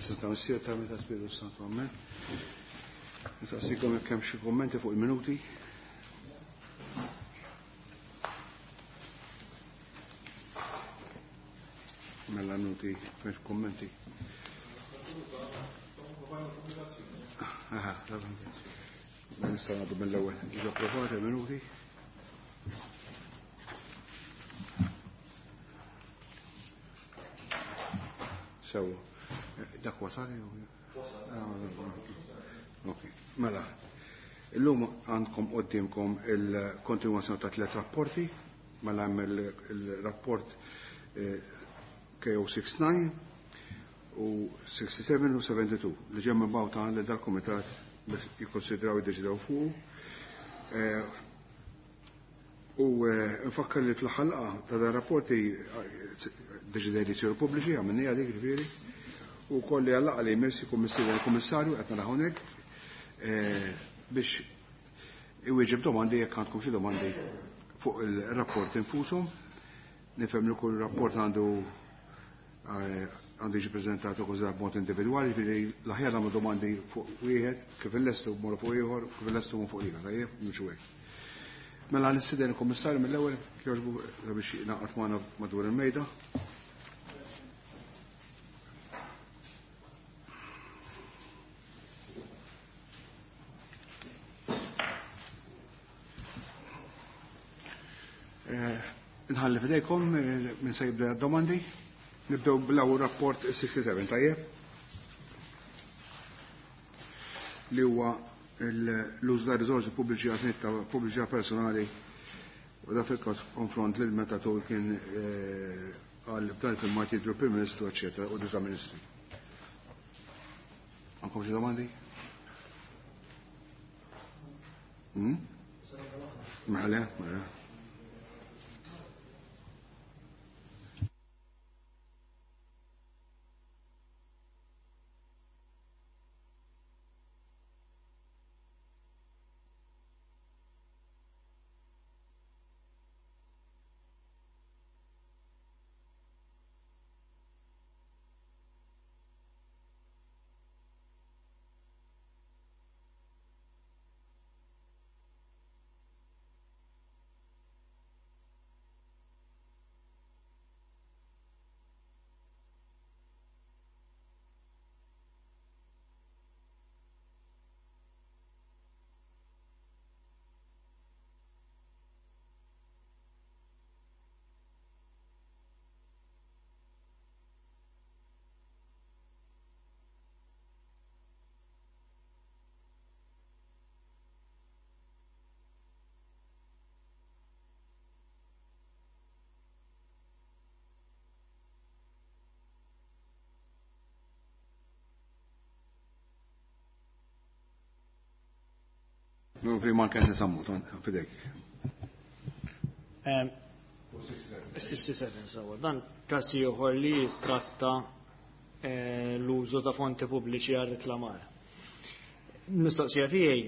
Fl-isem ta' Missier ta' Meta Spiritu Santu, Amen. Nistaqsikom jekk hemm xi kummenti fuq il-minuti. Mela minuti m'hemmx kummenti. Aha, nistgħu nagħdu mill-ewwel. Ġew approvati minuti. Sewa. Dak wasal jew? Ok, mela. Illum għandkom qoddiemkom il-kontinwazzjoni ta' tliet rapporti, mela hemm il-rapport KO69 u 67 u 72 li ġew mibgħuta lil dal-kumitat biex jikkonsidraw jiddeċidew fuqu. U nfakkar li fl-aħħar laqgħa ta' dan rapporti deċidejt li jsiru pubbliċi, għamilniha dik ġifieri, u wkoll li għal-laqgħa li jmiss ikun mistieden il-Kummissarju qed nara hawnhekk biex iwieġeb domandi jekk għandkom xi domandi fuq il-rapport infushom. Nifhem li kull rapport għandu għandu jiġi preżentat ukoll b'mod individwali, ġifieri l-aħjar nagħmlu domandi fuq wieħed, kif illestu mmorru fuq ieħor, kif illestu mmorru fuq ieħor, tajjeb, mhux hekk. Mela nistieden il-Kummissarju mill-ewwel jogħġbu biex jingħaqad magħna madwar il-mejda. Nħalli fidejkom minn se jibda domandi. Nibdew bl-ewwel rapport 67, tajjeb? Li huwa l-użu ta' riżorsi pubbliċi għal ta' pubbliċità personali u da fil-każ konfront lil meta tul kien għal f'dan il-filmat jidhru Prim Ministru, eċetera, u disa' ministri. Għandkom xi domandi? Mela, mela. No, prima anke nisammu, fidejk. 67 sewa. Dan każ ieħor li jitratta l-użu ta' fonti pubbliċi għal reklamar. Mistoqsija tiegħi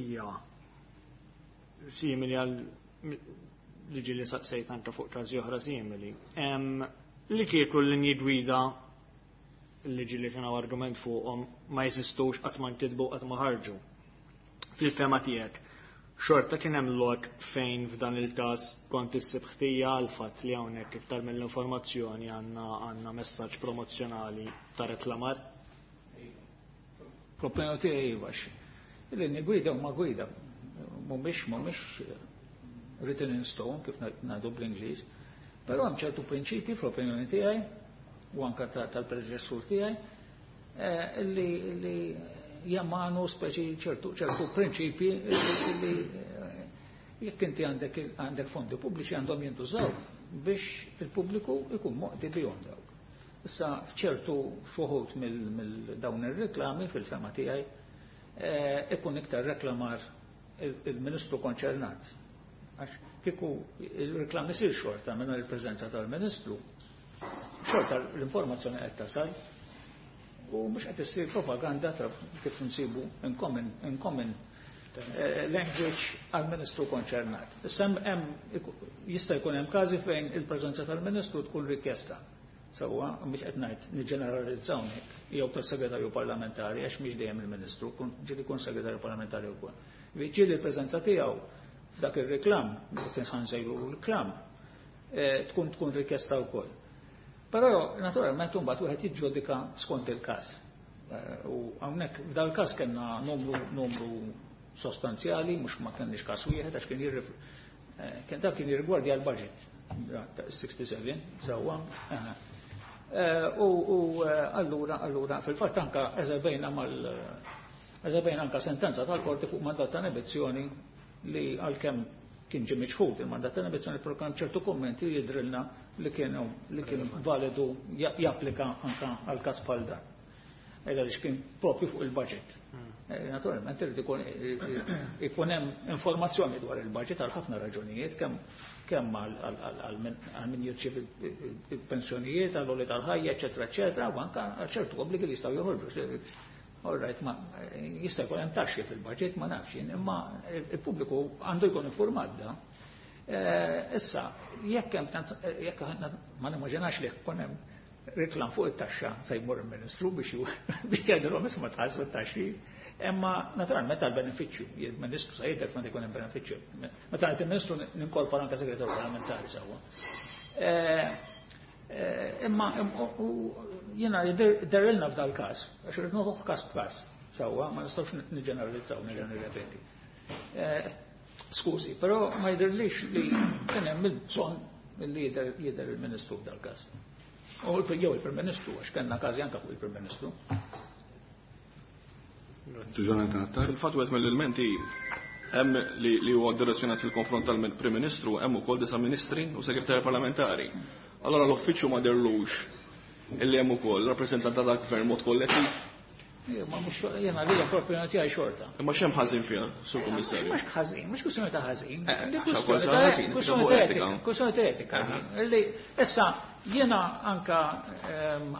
hija simili għal liġi li saqsejt anke fuq każi oħra simili. Li kieku l-linji gwida liġi li kien argument fuqhom ma jeżistux qatt ma nkitbu qatt ma ħarġu. Fil-fema tiegħek, xorta kien hemm lok fejn f'dan il-każ kont issib ħtija għal fatt li hawnhekk iktar mill-informazzjoni għandna messaġġ promozzjonali ta' reklamar? Problema tiegħi iva. Il-linji gwida huma gwida, mhumiex written in stone kif ngħidu bl-Ingliż, però hemm ċertu prinċipji fl-opinjoni tiegħi u anka tal-predeċessur tiegħi illi jammanu speċi ċertu prinċipji illi jekk inti għandek fondi pubbliċi għandhom jintużaw biex il-pubbliku ikun moqdi bihom dawk. Issa f'ċertu fuħut mill-dawn ir-reklami fil-fema tiegħi ikun iktar reklamar il-ministru konċernat. Għax kieku il-reklami sir xorta minn il-preżenza tal-ministru, xorta l-informazzjoni qed tasal u mhux qed issir propaganda ta' kif nsibu in common language għal-ministru konċernat. Issa hemm jista' jkun hemm każi fejn il-preżenza tal-ministru tkun rikjesta. Sewwa, mhux qed ngħid niġġeneralizza hawnhekk, jew tas-segretarju parlamentari għax mhix dejjem il-Ministru, ġieli jkun segretarju parlamentari wkoll. Ġieli l-preżenza tiegħu f'dak ir-reklam, kien sa nsejlu reklam, tkun rikjesta wkoll. Però naturalment imbagħad wieħed jiġġudika skont il-każ. U hawnhekk f'dal każ kellna numru sostanzjali, mhux ma kenniex każ wieħed għax kien kien dak kien jirrigwardja l-budget 67 sewwa. U allura fil-fatt anka eżebejna mal eżebejna anka sentenza tal-qorti fuq mandat ta' inibizzjoni li għalkemm kien ġie miċħud il-mandat ta' inibizzjoni, però kien ċertu kummenti jidrilna li kienu li kien validu japplika anka għal każ bħal dan. Għaliex kien propju fuq il-budget. Naturalment irid ikun hemm informazzjoni dwar il-budget għal ħafna raġunijiet, kemm għal min jirċievi il-pensjonijiet, għal għoli tal-ħajja, eċetera, eċetera, u anke għal ċertu obbligi li jistgħu joħorġu. All right, ma jista' jkun hemm taxxi fil-budget, ma nafx jien, imma il-pubbliku għandu jkun informat da. Issa, jekk hemm jekk ma nimmaġinax li jkun hemm reklam fuq it-taxxa se jmur il-Ministru biex jgħidilhom isma' tħallsu t-taxxi, imma naturalment għal benefiċċju, il-Ministru se jidher meta jkun hemm benefiċċju. Meta ngħid il-Ministru ninkorpora anke segretarju parlamentari sewwa. Imma jiena jidherilna f'dal każ, għax irid noħodh każ b'każ sewwa, ma nistgħux niġġeneralizzaw, nerġa' nirrepeti. Skużi, però ma jidhirlix li kien hemm il-bżonn li jidher il-Ministru f'dal każ. U jew il-Prim Ministru, għax kellna każi anke fuq il-Prim Ministru. Jonathan Attard. Fil-fatt wieħed mill-elementi hemm li huwa direzzjonat fil-konfront tal-Prim Ministru, hemm ukoll 9 ministri u segretarji parlamentari. Allora l-uffiċċju ma derlux illi hemm ukoll rappreżentant tal-gvern mod kollettiv. Ma mhux jiena li propju tiegħi xorta. Imma x'hemm ħażin fiha, Sur Kummissarju? Mhux ħażin, mhux kwistjoni ta' ħażin. Kwistjoni ta' etika. Issa jiena anka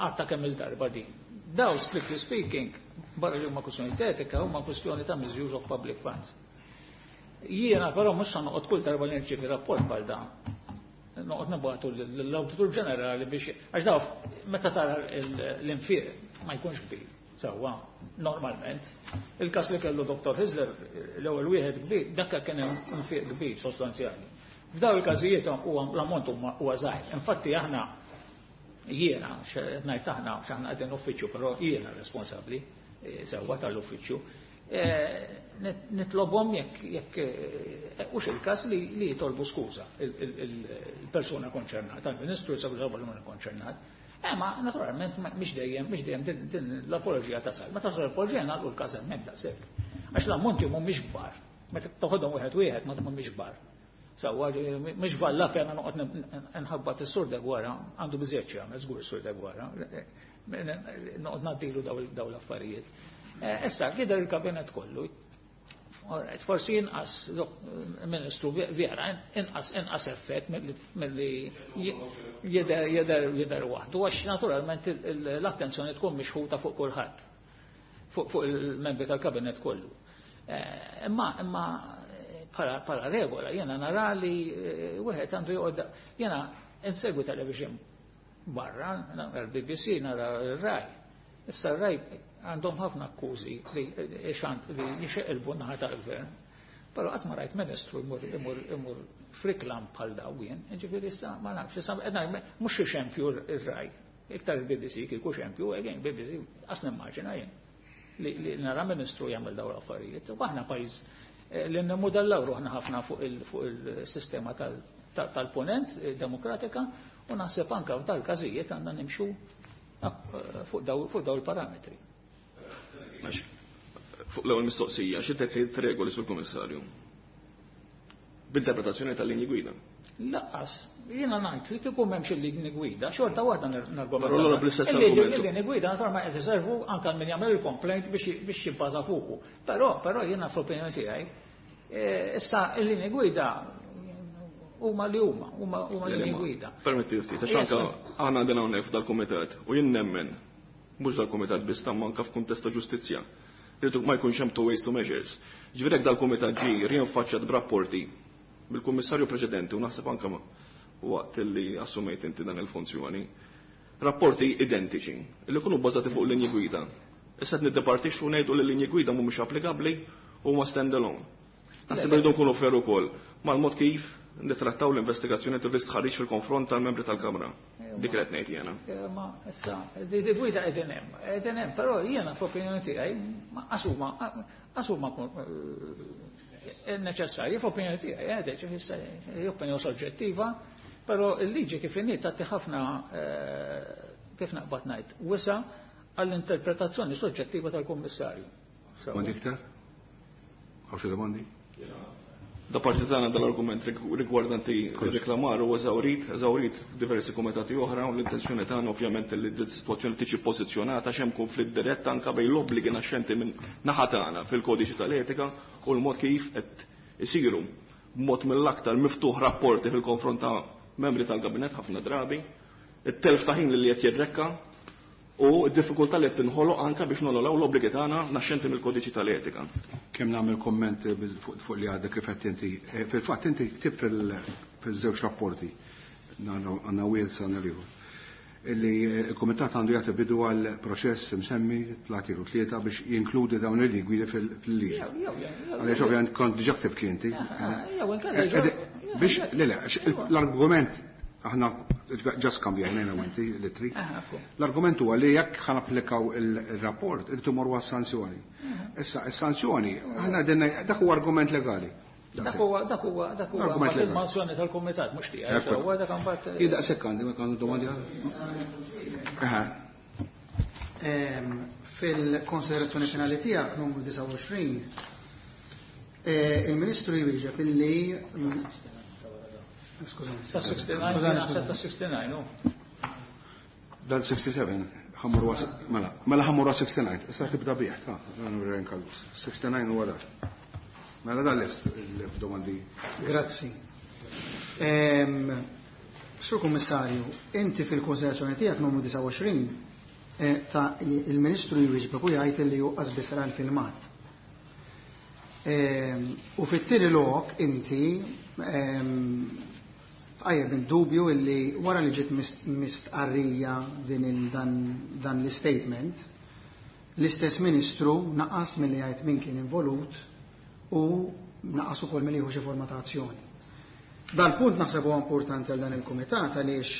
għatta kemm il-darba din. Daw, strictly speaking, barra li huma kwistjoni ta' etika, huma kwistjoni ta' misuse of public funds. Jiena però mhux se noqgħod kull darba li nirċievi rapport bħal dan. Noqgħod nibgħatu l-Awditur Ġenerali biex għax daw meta tara l-infiq ma jkunx kbir. Sewwa, normalment. Il-każ li kellu Dr. Hyzler, l-ewwel wieħed kbir, dak kien hemm infiq kbir sostanzjali. F'daw il-każijiet huwa l-ammont huwa żgħir. Infatti aħna jiena, ngħid aħna x'aħna qegħdin uffiċċju, però jiena responsabbli sewwa tal-uffiċċju. Nitlobhom jekk hux il-każ li jitolbu skuża il-persuna konċernata, il-Ministru, il-Segretarju Parlamentari konċernat. Ma naturalment mhix dejjem din l-apoloġija tasal. Ma tasal l-apoloġija nagħlqu l-każ hemmhekk daqshekk. Għax l-ammonti mhumiex kbar. Meta toħodhom wieħed wieħed ma mhumiex kbar. Sewwa mhix valla pena noqgħod nħabbat is-Sur Deguara, għandu biżejjed xi jagħmel żgur is-Sur Deguara. Noqgħod ngħaddilu daw l-affarijiet. Issa jidher il-kabinet kollu. Forsi inqas Ministru vera, inqas effett milli jidher waħdu, għax naturalment l-attenzjoni tkun mixħuta fuq kulħadd, fuq il-membri tal-kabinet kollu. Imma bħala regola jiena nara li wieħed għandu joqgħod, jiena insegwi television barra, nara l-BBC, nara r-Rai. Issa r-Rai għandhom ħafna akkużi li xant li jixeqilbu naħa tal-gvern. Però qatt ma rajt ministru imur friklam bħal daw jien, ġifieri issa ma nafx, issa mhux xi xempju r-Rai. Iktar il-BBC kieku xempju, again BBC qas nimmaġina jien li nara ministru jagħmel dawn l-affarijiet. U aħna pajjiż li nimmudellaw ruħna ħafna fuq il-sistema tal-ponent demokratika u naħseb anke f'dal każijiet għandna nimxu fuq daw il-parametri. Fuq l-ewwel mistoqsija, xi tgħid regoli sur Kummissarju? B'interpretazzjoni tal-linji gwida. Laqqas, jiena ngħid li kieku m'hemmx il-linji gwida, xorta waħda nargumenta. Però allura bl-istess argument. Il-linji gwida naturalment qed iservu anke min jagħmel il-complaint biex jibbaża fuqu. Però jiena fl-opinjoni tiegħi, issa il-linji gwida huma li huma, huma linji gwida. Permetti ftit, għax anke aħna għandna hawnhekk f'dal-kumitat u jien nemmen mhux dal-kumitat biss ta' manka f'kuntest ta' ġustizzja. Irridu ma jkunx hemm two ways to measures. Ġifieri jekk dal-kumitat ġie rinfaċċjat b'rapporti mill-kummissarju preċedenti u naħseb anke waqt li assumejt inti dan il-funzjoni. Rapporti identiċi li jkunu bbażati fuq linji gwida. Issa qed niddepartixxu ngħidu li linji gwida mhumiex applikabbli u huma stand alone. Naħseb irridu nkunu fair ukoll mal-mod kif nittrattaw l-investigazzjoni u l-istħarriġ fil-konfront tal-membri tal-Kamra. Dik li qed ngħid jiena. Ma issa, di gwida qegħdin hemm, qegħdin hemm, però jiena f'opinjoni tiegħi qas huma neċessarji f'opinjoni tiegħi, ġifieri opinjoni soġġettiva, però il-liġi kif inhi tagħti ħafna, kif naqbad ngħid, wisa għall-interpretazzjoni soġġettiva tal-Kummissarju. Domandi iktar? Hawn xi domandi? Da parti tagħna dal-argument rigwardanti reklamar huwa eżawrit, eżawrit f'diversi kumitati oħra, u l-intenzjoni tagħna ovvjament li d-sitwazzjoni tiġi pożizzjonata x'hemm konflitt dirett anke bejn l-obbligi naxxenti minn naħa tagħna fil-kodiċi tal-etika u l-mod kif qed isiru b'mod mill-aktar miftuħ rapporti fil-konfront ta' membri tal-gabinet ħafna drabi, it-telf ta' ħin li qed jirrekka u d-diffikultà li qed tinħoloq anke biex nonoraw l-obbligi tagħna naxxenti mill-kodiċi tal-etika. Kemm nagħmel komment fuq li għadek kif qed inti. Fil-fatt inti ktib fil-żewġ rapporti, għandna wieħed sa ieħor, illi il-komitat għandu jagħti bidu għal proċess msemmi fl-artiklu 3 biex jinkludi dawn il-gwidi fil-liġi. Għaliex ovvjament kont diġà ktibt li inti. Biex, le, le, l-argument aħna ġa skambjajna jiena u inti l-ittri. L-argument huwa li jekk ħa napplikaw il-rapport, irridu morru għas-sanzjoni. Issa, is-sanzjoni, aħna dinna dak huwa argument legali. Dak huwa Argument legali. Il-mozzjoni tal-kumitat mhux tiegħi, sewwa, dak imbagħad. Jien daqshekk għandi, ma għandu domandi. Aha. Fil-konsiderazzjoni finali tiegħek numru 29, il-Ministru jwieġeb illi skużani. Ta' 69, Skużani, naħseb ta' skużani. 69, u. Dan 67, ħammur mela, mela ħammur 69, issa tibda bih, ta' dan huwa Callus. 69 huwa dak. Mela dan lest il-domandi. Grazzi. Sur Kummissarju, inti fil-konsiderazzjoni tiegħek numru 29 ta' il-Ministru jwieġbek u jgħid li hu qas ra l-filmat. U fit-tieni lok inti tqajjem dubju illi wara li ġiet mistqarrija din dan l-statement, l-istess Ministru naqas milli jgħid min kien involut u naqas ukoll milli jieħu xi forma ta' azzjoni. Dal-punt naħseb huwa importanti għal dan il-kumitat għaliex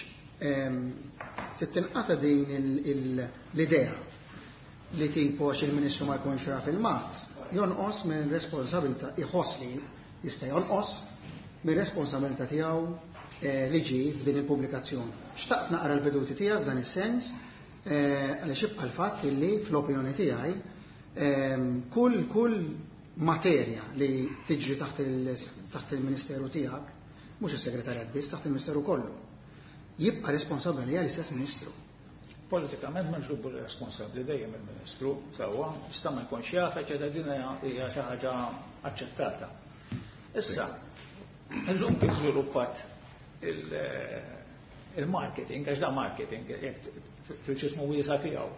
trid tinqata din l-idea li tipo għax il-Ministru ma jkunx ra filmat, jonqos minn responsabilità, iħoss li jista' jonqos minn responsabilità tiegħu li ġi f'din il-pubblikazzjoni. Xtaqt naqra l-veduti tiegħek f'dan is-sens għaliex jibqa' l-fatt illi fl-opinjoni tiegħi kull materja li tiġri taħt il-Ministeru tiegħek, mhux is-segretarjat biss, taħt il-Ministeru kollu, jibqa' responsabbli għalija l-istess Ministru. Politikament ma nġubu responsabbli dejjem il-Ministru, sewwa, jista' ma jkunx jaf, eċetera, din hija xi ħaġa aċċettata. Issa, illum kif żviluppat il-marketing, għax da marketing, jekk fil-ġismu wiesa tiegħu.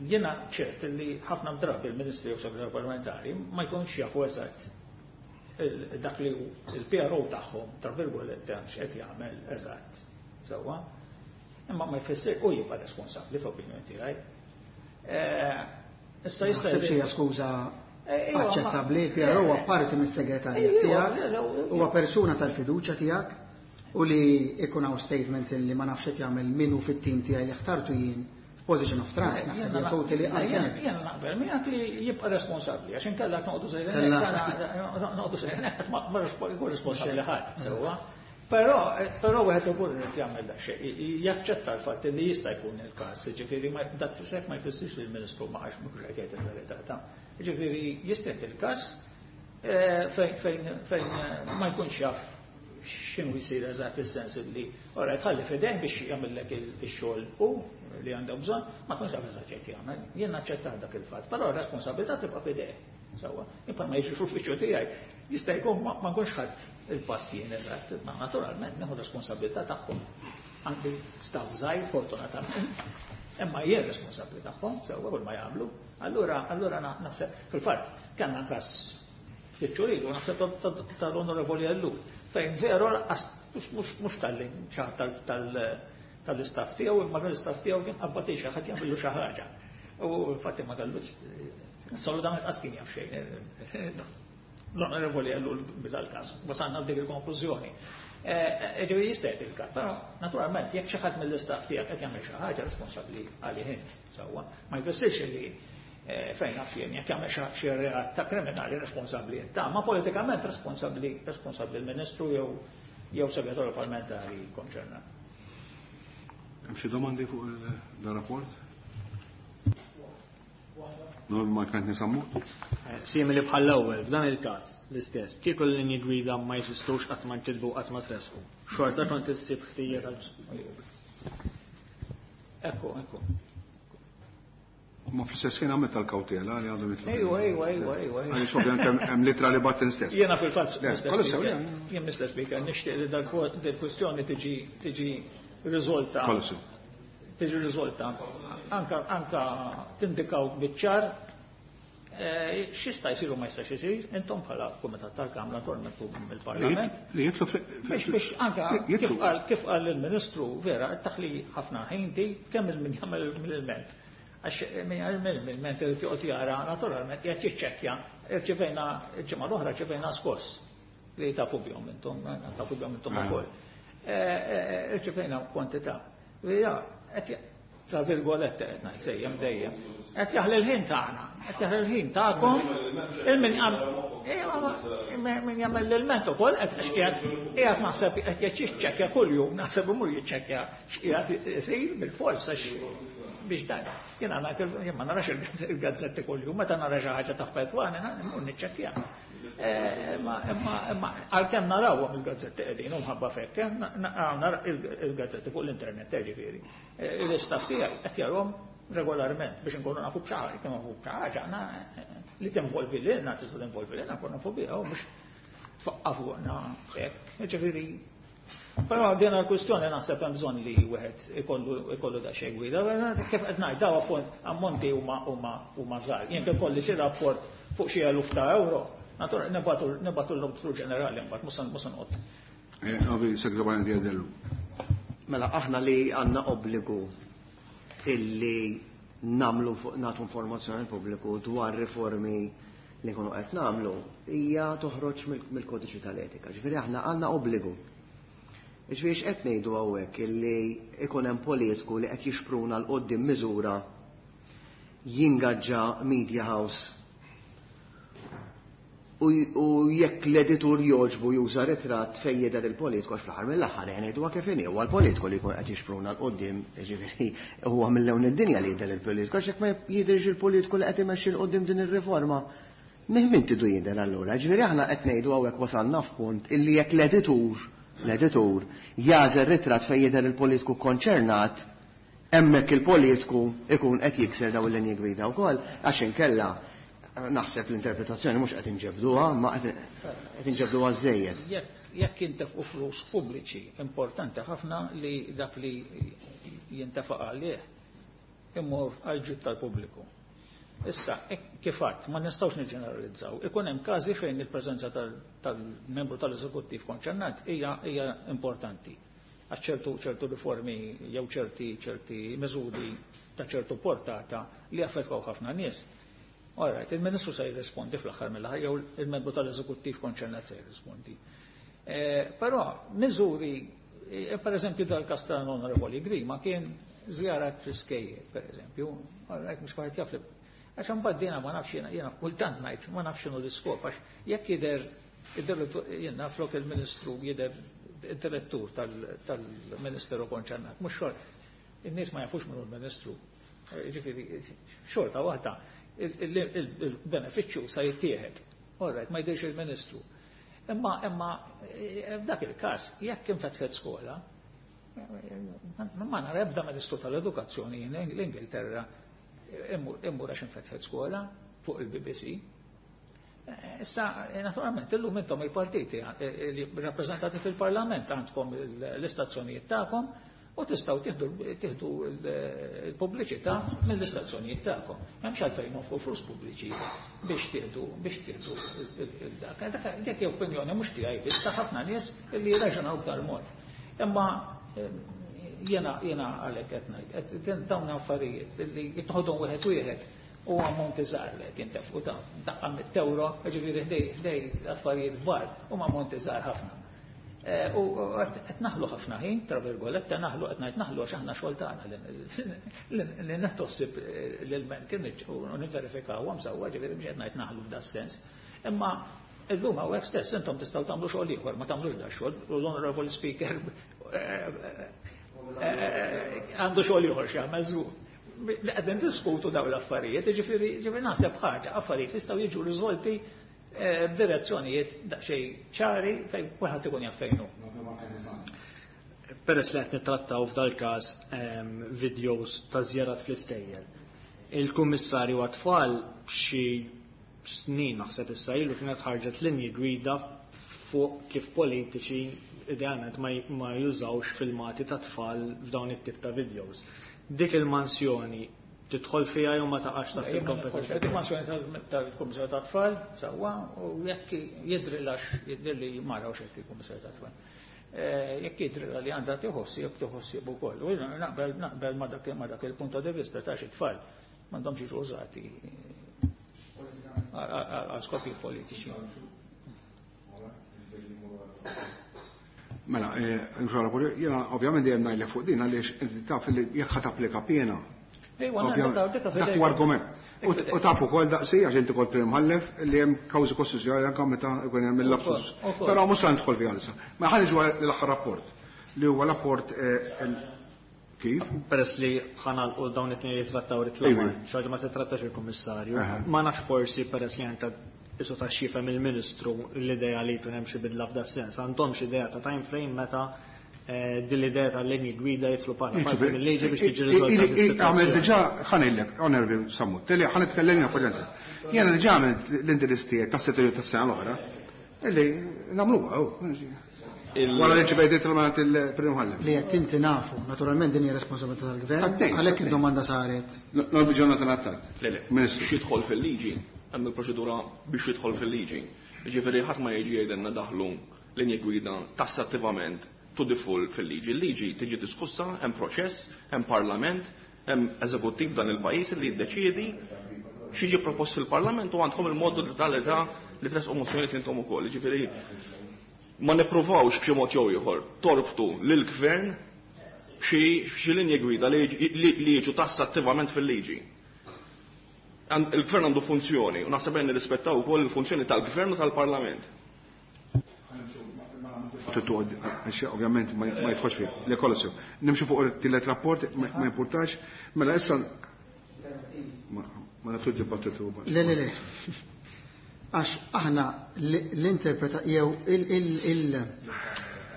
Jiena ċert li ħafna drabi il-Ministri u segretarju parlamentari ma jkunx jafu eżatt dak li il-PRO tagħhom, tra virgolette, x'qed jagħmel eżatt. Sewwa. Imma ma jfisser u jibqa' responsabbli f'opinjoni tiegħi. Issa jista' Naħseb xi skuża Iva, aċċettabbli, il-PRO huwa parti mis-segretarjat tiegħek, huwa persuna tal-fiduċja tiegħek u li ikun hawn statements illi ma nafx qed jagħmel minnu fit-tim tiegħi li ħtartu jien f'position of trust, naħseb hija totally unfair. Jena naqbel miegħek li jibqa' responsabbli, għax inkella noqogħdu sejrin noqogħdu sejrin ma jkun responsabbli ħadd, sewwa. Però wieħed ukoll irid jagħmel dak xejn, jaċċetta l-fatt li jista' jkun il-każ, ġifieri dak tisek ma jfissirx li l-Ministru ma għax mhux qed jgħid il-verità ta'. Ġifieri jista' il-każ fejn ma jkunx jaf x'inhu jsir eżatt, fis-sens li ora tħalli f'idejh biex jagħmellek ix-xogħol u li għandu bżonn, ma tkunx taf eżatt x'qed jagħmel. Jien naċċetta dak il-fatt, però r-responsabilità tibqa' f'idejh. Sewwa, imma ma jiġix fl-uffiċċju tiegħi, jista' jkun ma nkunx ħadd il-pass jien eżatt, ma naturalment nieħu responsabilità tagħhom. Għandi staff żgħir fortunatament, imma jien responsabbli tagħhom, sewwa, kull ma jagħmlu. Allura naħseb fil-fatt kellna każ ftit xhur ilu, naħseb tal-Onorevoli Ellul, fejn veru lanqas Mhux talli xi ħadd tal-istaff tiegħu, imma l-istaff tiegħu kien qabbad xi ħadd jagħmillu xi ħaġa. U infatti ma kellux, assolutament qas kien jaf xejn. L-onorevoli Ellul bidal-każ, wasalna f'dik il-konklużjoni. Ġifieri jista' jagħti il-każ, però naturalment jekk xi ħadd mill-istaff tiegħek qed jagħmel xi ħaġa responsabbli għalih int, sewwa. Ma jfissirx li fejn naf jien jekk jagħmel xi reat ta' kriminali responsabbli int, ma politikament responsabbli responsabbli l-Ministru jew segretarju parlamentari konċernat. Hemm xi domandi fuq il-rapport? Norma kienet nisammu? Simili bħall-ewwel, f'dan il-każ l-istess, kieku l-linji gwida ma jeżistux, qatt ma nkitbu, qatt ma tresqu. Xorta kont issib ħtija tal Ekku, ekku. Ma fl-istess ħin għamilt tal-kawtela li għandhom jitlu. Ejwa. Għaliex ovvjament hemm litra li batten stess. Jiena fil-fatt jien Mr. Speaker nixtieq li dal-kwestjoni tiġi riżolta. Tiġi riżolta. Anka tindikaw biċ-ċar x'jista' jsir u ma jistax isir, intom bħala Kumitat tal-Kamra naturalment u mill-Parlament. Li jitlu biex anka kif qal il-Ministru vera taħli ħafna ħin di kemm il-min jagħmel mill-ilment. Għax min jagħmel mill-ilment irid joqgħod jara naturalment jekk jiċċekkja, irċivejna il-ġimgħa l-oħra rċivejna skoss li tafu bihom intom, tafu bihom intom ukoll. Irċivejna kwantità. Ja, qed tra virgolette qed ngħid sejjem dejjem. Qed jaħli l-ħin tagħna, qed jaħli l-ħin tagħkom, il-min min jagħmel l-ilment ukoll qed qiegħed naħseb qed jiċċekkja kuljum, naħseb imur jiċċekkja x'qiegħed isir bil-fors għax biex dan. Jiena ngħid jien ma narax il-gazzetti kuljum, meta nara xi ħaġa taffettwani mmur niċċekkja. Imma għalkemm narawhom il-gazzetti qegħdin u mħabba fekk, nara il-gazzetti fuq l-internet ġifieri. L-istaff tiegħi qed jarhom regolarment biex inkunu nafu b'xi ħaġa, nafu b'xi ħaġa li tinvolvi lilna, tista' tinvolvi lilna, nkunu nafu biha u mhux tfaqqa fuqna hekk. Ġifieri, però din il-kwistjoni naħseb hemm bżonn li wieħed ikollu daqsxejn gwida. Kif qed ngħid daw ammonti huma żgħar. Jien kif kolli xi rapport fuq xi eluf ta' euro, naturalment nibatu l-Awditur Ġenerali mbagħad mhux se noqgħod. Ovi, Segretarju Diadellu. Mela aħna li għandna obbligu illi namlu nagħtu informazzjoni al pubbliku dwar riformi li nkunu qed nagħmlu hija toħroġ mill-kodiċi tal-etika. Ġifieri aħna għandna obbligu. Ġifieri x'qed ngħidu hawnhekk illi ikun hemm politiku li qed jixpruna l quddiem miżura jingaġġa media house u jekk l-editur joġbu juża ritratt fejn jidher il-politiku għax fl-aħħar mill-aħħar ngħiduha kif inhi huwa l-politiku li jkun qed jixpruna l quddiem, jiġifieri huwa mill-lewn id-dinja li jidher il-politiku għax jekk ma jidhirx il-politiku li qed imexxi l quddiem din ir-riforma min tidu jidher allura. Ġifieri aħna qed ngħidu hawnhekk wasalna f'punt illi jekk l-editur jażel ritratt fejn jidher il-politiku konċernat, hemmhekk il-politiku ikun qed jikser daw il-linji gwida wkoll għax inkella naħseb l-interpretazzjoni mhux qed inġebduha, ma qed inġebduha żejjed. Jekk jintefqu flus pubbliċi, importanti ħafna li dak li jintefaq għalih imur għal ġid tal-pubbliku. Issa, kif għadt, ma nistgħux niġġeneralizzaw. Ikun hemm każi fejn il-preżenza tal-membru tal-eżekuttiv konċernat hija importanti. Għax ċertu riformi jew ċerti miżuri ta' ċertu portata li affettwaw ħafna nies. All right, il-Ministru se jirrispondi fl-aħħar mill-aħħar jew il-membru tal-eżekuttiv konċernat se jirrispondi. Però miżuri, per eżempju dal-każ tal-Onorevoli Grima kien żjarat fl-iskejjel, per eżempju, all right, mhux kwaħed jaf li għax imbagħad jiena ma nafx jiena kultant ngħid ma nafx x'inhu l-iskop għax jekk jidher jiena flok il-Ministru jidher id-direttur tal-Ministeru konċernat, mhux xogħol. In-nies ma jafux min hu l-Ministru. Ġifieri xorta waħda il-benefiċċju sa jittieħed. All right, ma jidhirx il-Ministru. Imma f'dak il-każ jekk infetħet skola, ma nara ebda Ministru tal-Edukazzjoni l-Ingilterra immur għax infetħet skola fuq il-BBC. Issa, naturalment, illum intom il-partiti li rappreżentati fil-Parlament għandkom l-istazzjonijiet tagħkom. U tistgħu tieħdu l-pubbliċità mill-istazzjonijiet tagħkom. M'hemmx għalfejn nonfqu flus pubbliċi biex tieħdu dak. Dik hija opinjoni mhux tiegħi biss ta' ħafna nies li jirraġunaw b'dal mod. Imma jiena għalhekk qed ngħid, dawn affarijiet li jitħodhom wieħed wieħed u ammonti żgħar li qed jintefqu ta' daqqa 100 euro, jiġifieri ħdej affarijiet kbar huma ammonti żgħar ħafna. U qed naħlu ħafna ħin, tra virgolette, naħlu qed ngħid naħlu għax aħna xogħol tagħna li nittossib l-ilmenti u nivverifikawhom sewwa, ġifieri mhux qed ngħid naħlu f'da sens. Imma illum hawnhekk stess intom tistgħu tagħmlu xogħol ieħor, ma tagħmlux da xogħol, u l-Honorable Speaker għandu xogħol ieħor x'jagħmel żgur. Li qegħdin diskutu dawn l-affarijiet, jiġifieri naħseb ħaġa, affarijiet jistgħu jiġu riżolti b'direzzjonijiet daqsxejn ċari fejn kulħadd ikun jaf fejn hu. Peress li qed nittrattaw f'dal-każ videos ta' żjarat fl-iskejjel. Il-Kummissarju għat-tfal xi snin naħseb issa ilu kienet ħarġet linji gwida fuq kif politiċi idealment ma jużawx filmati ta' tfal f'dawn it-tip ta' videos. Dik il-mansjoni tidħol fiha jew ma taqax taħt il-kompetenza? Dik il-mansjoni tal-Kummissarju tat-Tfal sewwa, u jekk jidhrilha jidhirli ma rawx hekk il-Kummissarju tat-Tfal. Jekk jidhrilha li għandha tieħu ħsieb ukoll. U naqbel ma dak il-punt di vista ta' xi tfal m'għandhomx jiġu użati għal skopijiet politiċi. Mela, jiena ovvjament dejjem ngħidlek fuq din għaliex inti taf li jekk ħa tapplika piena. Dak huwa argument. U taf ukoll daqsi għax inti kont prim imħallef li hemm kawżi kostituzzjonali anke meta jkun hemm il-lapsus. Però mhux se nidħol fiha issa. Ma ħa niġu l-aħħar rapport li huwa rapport kif? Peress li ħanalqu dawn it-tnejn li trattaw ritlamar, xi ħaġa ma titrattax il-Kummissarju. Ma nafx forsi peress li anke isu ta' xifem il-Ministru l-idea li jkun hemm xi bidla f'da sens. Għandhom xi idea ta' time frame meta din l-idea tal-linji gwida jitlu bħala parti mill-liġi biex tiġi riżolta dis-sitwazzjoni. Għamel diġà ħanejlek, Onorevoli Sammut, li ħa nitkellem jiena fuq Jiena diġà għamilt l-indirizz tiegħek tas-settur tas-sena l-oħra, illi nagħmluha Wara li ġibejt il-mant il-Prim Imħallef. Li qed inti nafu, naturalment din hija responsabilità tal-Gvern, għalhekk id-domanda saret. Norbi Jonathan Attard. Le, le, biex jidħol fil-liġi, hemm il-proċedura biex jidħol fil-liġi. Jiġifieri ħadd ma jiġi jgħidilna daħlu linji gwida tassattivament to the full fil-liġi. Il-liġi tiġi diskussa, hemm proċess, hemm parlament, hemm eżekuttiv dan il-pajjiż li jiddeċiedi x'jiġi propost fil-parlament u għandkom il-modu tal-età li tresqu mozzjonijiet intom ukoll. Jiġifieri ma nippruvawx b'xi mod jew ieħor torbtu lill-gvern b'xi linji gwida li jiġu tassattivament fil-liġi. Il-gvern għandu funzjoni u naħseb li nirrispettaw ukoll il-funzjoni tal-gvern u tal-parlament. Ovvjament ma jidħolx fiha, le kollox sew. Nimxu fuq it-tielet rapport ma jimpurtax, mela issa ma nagħtux dibattitu. Le, le, le. Għax aħna l-interpreta jew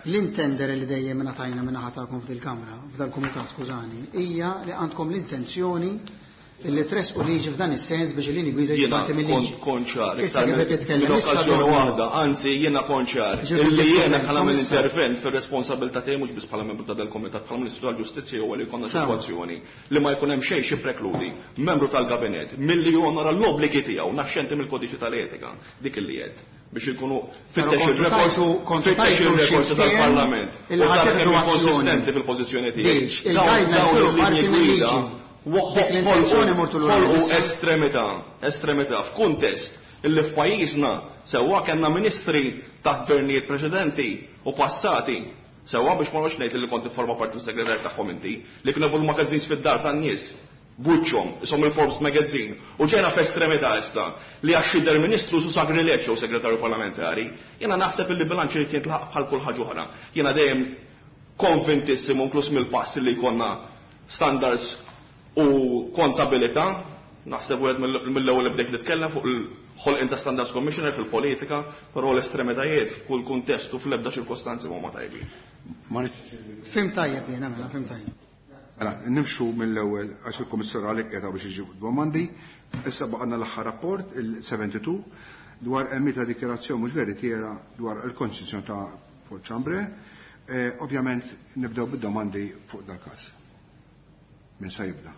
l-intender li dejjem ngħatajna minn naħa tagħkom f'dil-kamra, f'dal-kumitat, skużani, hija li għandkom l-intenzjoni li tresqu liġi f'dan is-sens biex il-linji gwida jiġu parti mill-liġi. Konċar, Issa kif qed titkellem issa okkażjoni dwar- waħda, anzi jiena konċar, Ġifieri illi titkellem jiena bħala komissar. intervent fir-responsabilità tiegħi mhux biss bħala membru ta' dal-kumitat, bħala Ministru tal-Ġustizzja huwa li jkollna sitwazzjoni li ma jkun hemm xejn xi prekludi membru tal-gabinett milli jonora l-obbligi tiegħu naxxenti mill-kodiċi tal-etika, dik illi qed biex ikunu Però fittex kontu il-rekord tajtu- kontu fittex tajtu il-rekord xi tal-Parlament. ftehim illi U tara ħadd kemm azzjoni. konsistenti fil-pożizzjoni tiegħi. Biex il-guidelines Dawn isiru il-linji parti gwida mill-liġi. Dik l-intenzjoni mortu lura ħolqu issa. estremità f'kuntest illi f'pajjiżna sewwa kellna ministri taħt gvernijiet preċedenti u passati sewwa biex ma noqgħodx ngħid li kont ifforma parti mis-segretarju tagħhom inti li kienu jagħmlu magazzins fid-dar tan-nies buċċhom isom il-Forbes magazine u ġejna f'estremità issa li għax jidher ministru su sagrileġġ jew segretarju parlamentari, jiena naħseb illi bilanċ irid jintlaħaq bħal kull ħaġa oħra. Jiena dejjem konvintissimu inkluż mill-pass li jkollna standards u kontabilità, naħseb wieħed mill-ewwel li bdejt nitkellem fuq il-ħolqien ta' Standards Commissioner fil-politika, però l-estremitajiet f'kull kuntest u fl-ebda ċirkostanzi huma tajbin. Fim tajjeb jiena mela, fim tajjeb. Mela, nimxu mill-ewwel għax il-Kummissarju għalhekk qiegħda biex iġib domandi. Issa baqgħna l-aħħar rapport il-72 dwar emmi ta' dikjarazzjoni mhux veritiera dwar il-konċessjoni ta' Paul Chambray. Ovvjament nibdew bid-domandi fuq dal-każ. Min se jibda?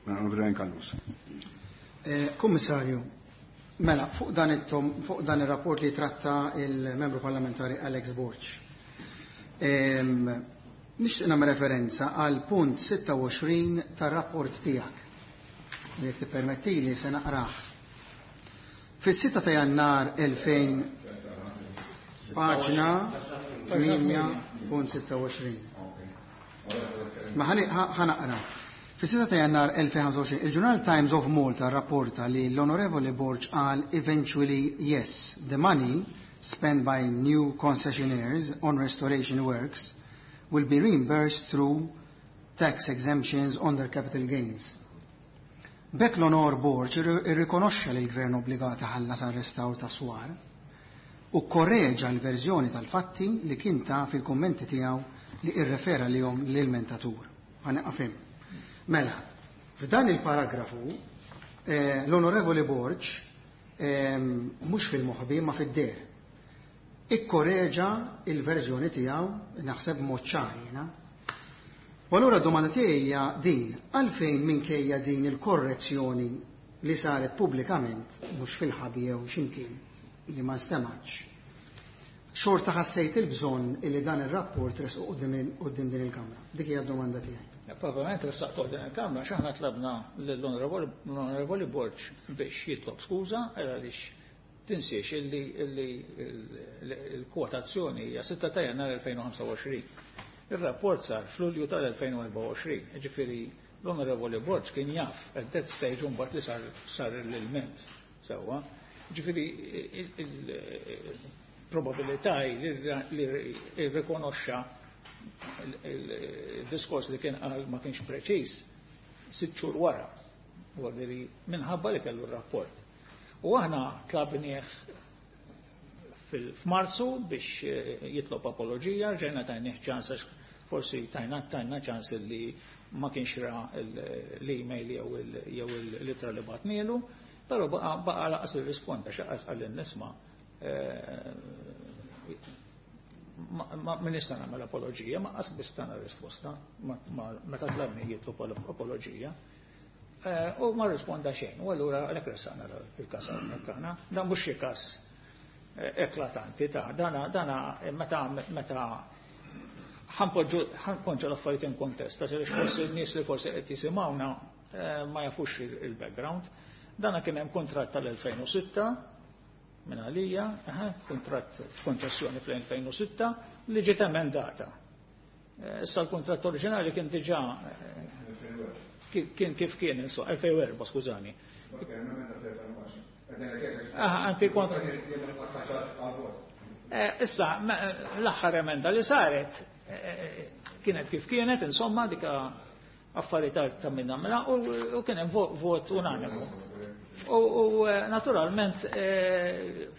Mela Callus. Kummissarju, mela fuq dan it-tom, fuq dan ir-rapport li tratta il-membru parlamentari Alex Borg. Nixtieq nagħmel referenza għal punt 26 tar-rapport tiegħek. Jekk tippermettili se naqrah. Fis-6 ta' Jannar 2000, paġna 8.26. Ma ħanaqra. Fis-6 ta' Jannar 2025, il-ġurnal Times of Malta rapporta li l-Onorevoli Borg qal: "Eventually, yes, the money spent by new concessionaires on restoration works will be reimbursed through tax exemptions on their capital gains." B'hekk l-Onor Borg irrikonoxxa li l-gvern obbligat iħallas għal restawr ta' swar u korreġa l-verżjoni tal-fatti li kien ta' fil-kommenti tiegħu li irrefera lihom l-ilmentatur. Ħa nieqaf hemm. Mela, f'dan il-paragrafu l-Onorevoli Borg mhux fil-moħbi ma fid-deher ikkoreġa il-verżjoni tiegħu, naħseb mod ċar jiena. U allura domanda tiegħi hija din: għalfejn minkejja din il-korrezzjoni li saret pubblikament, mhux fil-ħabi jew x'imkien li ma nstemax, xorta ħassejt il-bżonn illi dan ir-rapport resqu quddiem din il-Kamra? Dik hija d-domanda tiegħi. Probabilment ressaqtu din il-Kamra x'aħna tlabna lill-Onorevoli Borg biex jitlob skuża, għaliex tinsiex illi l-kwotazzjoni hija 6 ta' Jannar 2025. Il-rapport sar f'Lulju tal-2024, ġifieri l-Onorevoli Borg kien jaf at that stage mbagħad li sar l-ilment sewwa. Ġifieri il-probabilità li rrikonoxxa il-diskors li kien qal ma kienx preċiż 6 xhur wara, minħabba li kellu r-rapport. U aħna tlabnieh f'Marzu biex jitlob apologija, ġejna tajnieh ċans, għax forsi tajna ċans li ma kienx ra l-email jew l-ittra li bagħtnielu, però baqa lanqas irrisponda, xaqas qal nisma' ma nista' nagħmel apologija, ma qas biss tana risposta meta tlabni jitlob apologija. U ma risponda xejn, u allura għalhekk ressaqna il-każ hawnhekk aħna. Dan mhux xi każ eklatanti ta' dana meta ħa npoġġu l-affarijiet in kontest, għax forsi n-nies li forsi qed jisimgħuna ma jafux il-background. Dana kien hemm kontratt tal-2006 minn għalija, kontratt konċessjoni fl-2006 li ġiet emendata. Issa l-kontratt oriġinali kien diġà kien kif kien, insomma, 2004, skużani. Anti kont. Issa, l-aħħar emenda li saret kienet kif kienet, insomma, dika affarijiet ta' minna mela, u kien hemm vot unanimu. U naturalment,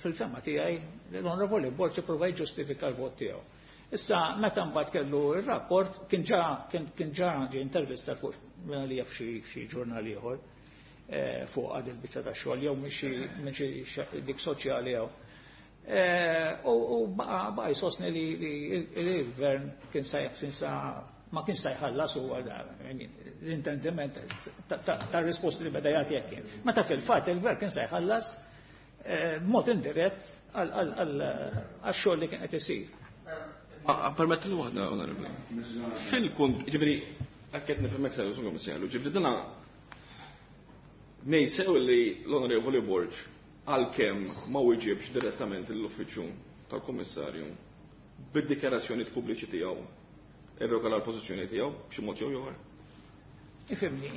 fil-fehma tiegħi, l-Onorevoli Borg prova jġustifika l-vot tiegħu. Issa, meta mbagħad kellu ir-rapport, kien ġa ġie intervista fuq li f'xi ġurnal ieħor fuq għad il-biċċa ta' xogħol jew minn xi dik soċjali jew. U baqa jsostni li l-gvern kien sa ma kien sa jħallas, u l-intendiment ta' risposti li beda jagħti hekk kien. Meta fil-fatt il-gvern kien sa jħallas mod indirett għal xogħol li kien qed isir. Permetti li waħda, Onorevoli. Fil-kunt, ġifieri, għakket nifhmek sew, Kummissarju, ġifieri dana ngħid sew li l-Onorevoli Borg għalkemm ma wieġibx direttament l-uffiċċju tal-Kummissarju, bid-dikjarazzjoni pubbliċi tiegħu irregola l-pożizzjoni tiegħu b'xi mod jew ieħor? Ifhimni,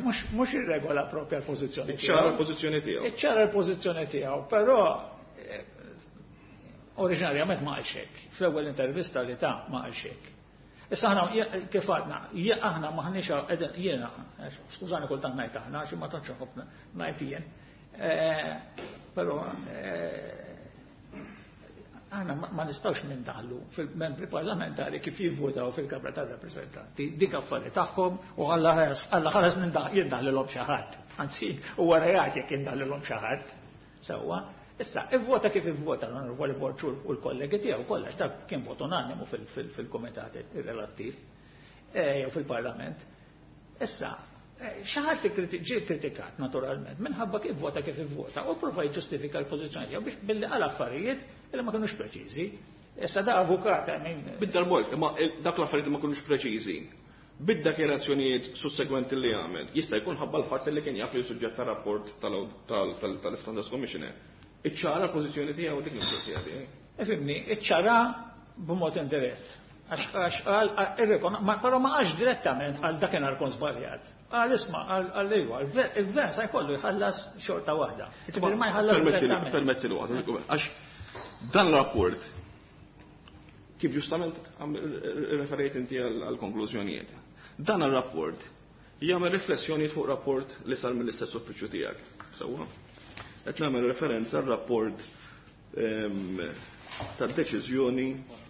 mhux irregola propja l-pożizzjoni tiegħu. Ċara l-pożizzjoni tiegħu. Ċara l-pożizzjoni tiegħu, però oriġinarjament ma qalx hekk. Fl-ewwel intervista li ta' ma qalx hekk. Issa aħna kif għadna, aħna maħniex qegħdin, jiena, skużani kultant ngħid aħna, xi ma tantx nħobb ngħid jien. Però aħna ma nistgħux nindaħlu fil-membri parlamentari kif jivvotaw fil-Kamra tar-Rappreżentanti. Dik affari tagħhom u Alla ħares jindaħlilhom xi ħadd. Anzi, huwa reat jekk jindaħlilhom xi ħadd. Sewwa. Issa, ivvota kif ivvota l-Onorevoli Borg u l-kollegi tiegħu kollha, dak kien vot unanimu fil-kumitat relattiv jew fil-Parlament. Issa, xi ħadd ġie kritikat naturalment minħabba kif vota kif ivvota u prova jiġġustifika l-pożizzjoni tiegħu biex billi qal affarijiet li ma kinux preċiżi. Issa da avukat, I mean. Bid-darbort, imma dak l-affarijiet li ma kinux preċiżi. Bid-dikjarazzjonijiet sussegwenti li għamel, jista' jkun ħabba l-fatt li kien jaf li suġġett ta' rapport tal-Standards Commissioner. Iċċara l-pożizzjoni tiegħu dik mistoqsija tiegħi. Ifhimni, iċċara b'mod indirett. Għax qal, però ma qalx direttament għal dakinhar kont żbaljat. Qal isma' qal iva, il-gvern sa jkollu jħallas xorta waħda. Jiġifieri ma jħallas direttament. Permetti li waħda, għax dan rapport kif ġustament referejt inti għal-konklużjonijiet. Dan ir-rapport jagħmel riflessjoni fuq rapport li sar mill-istess uffiċċju tiegħek. Sewwa. Qed nagħmel referenza għar-rapport tad-deċiżjoni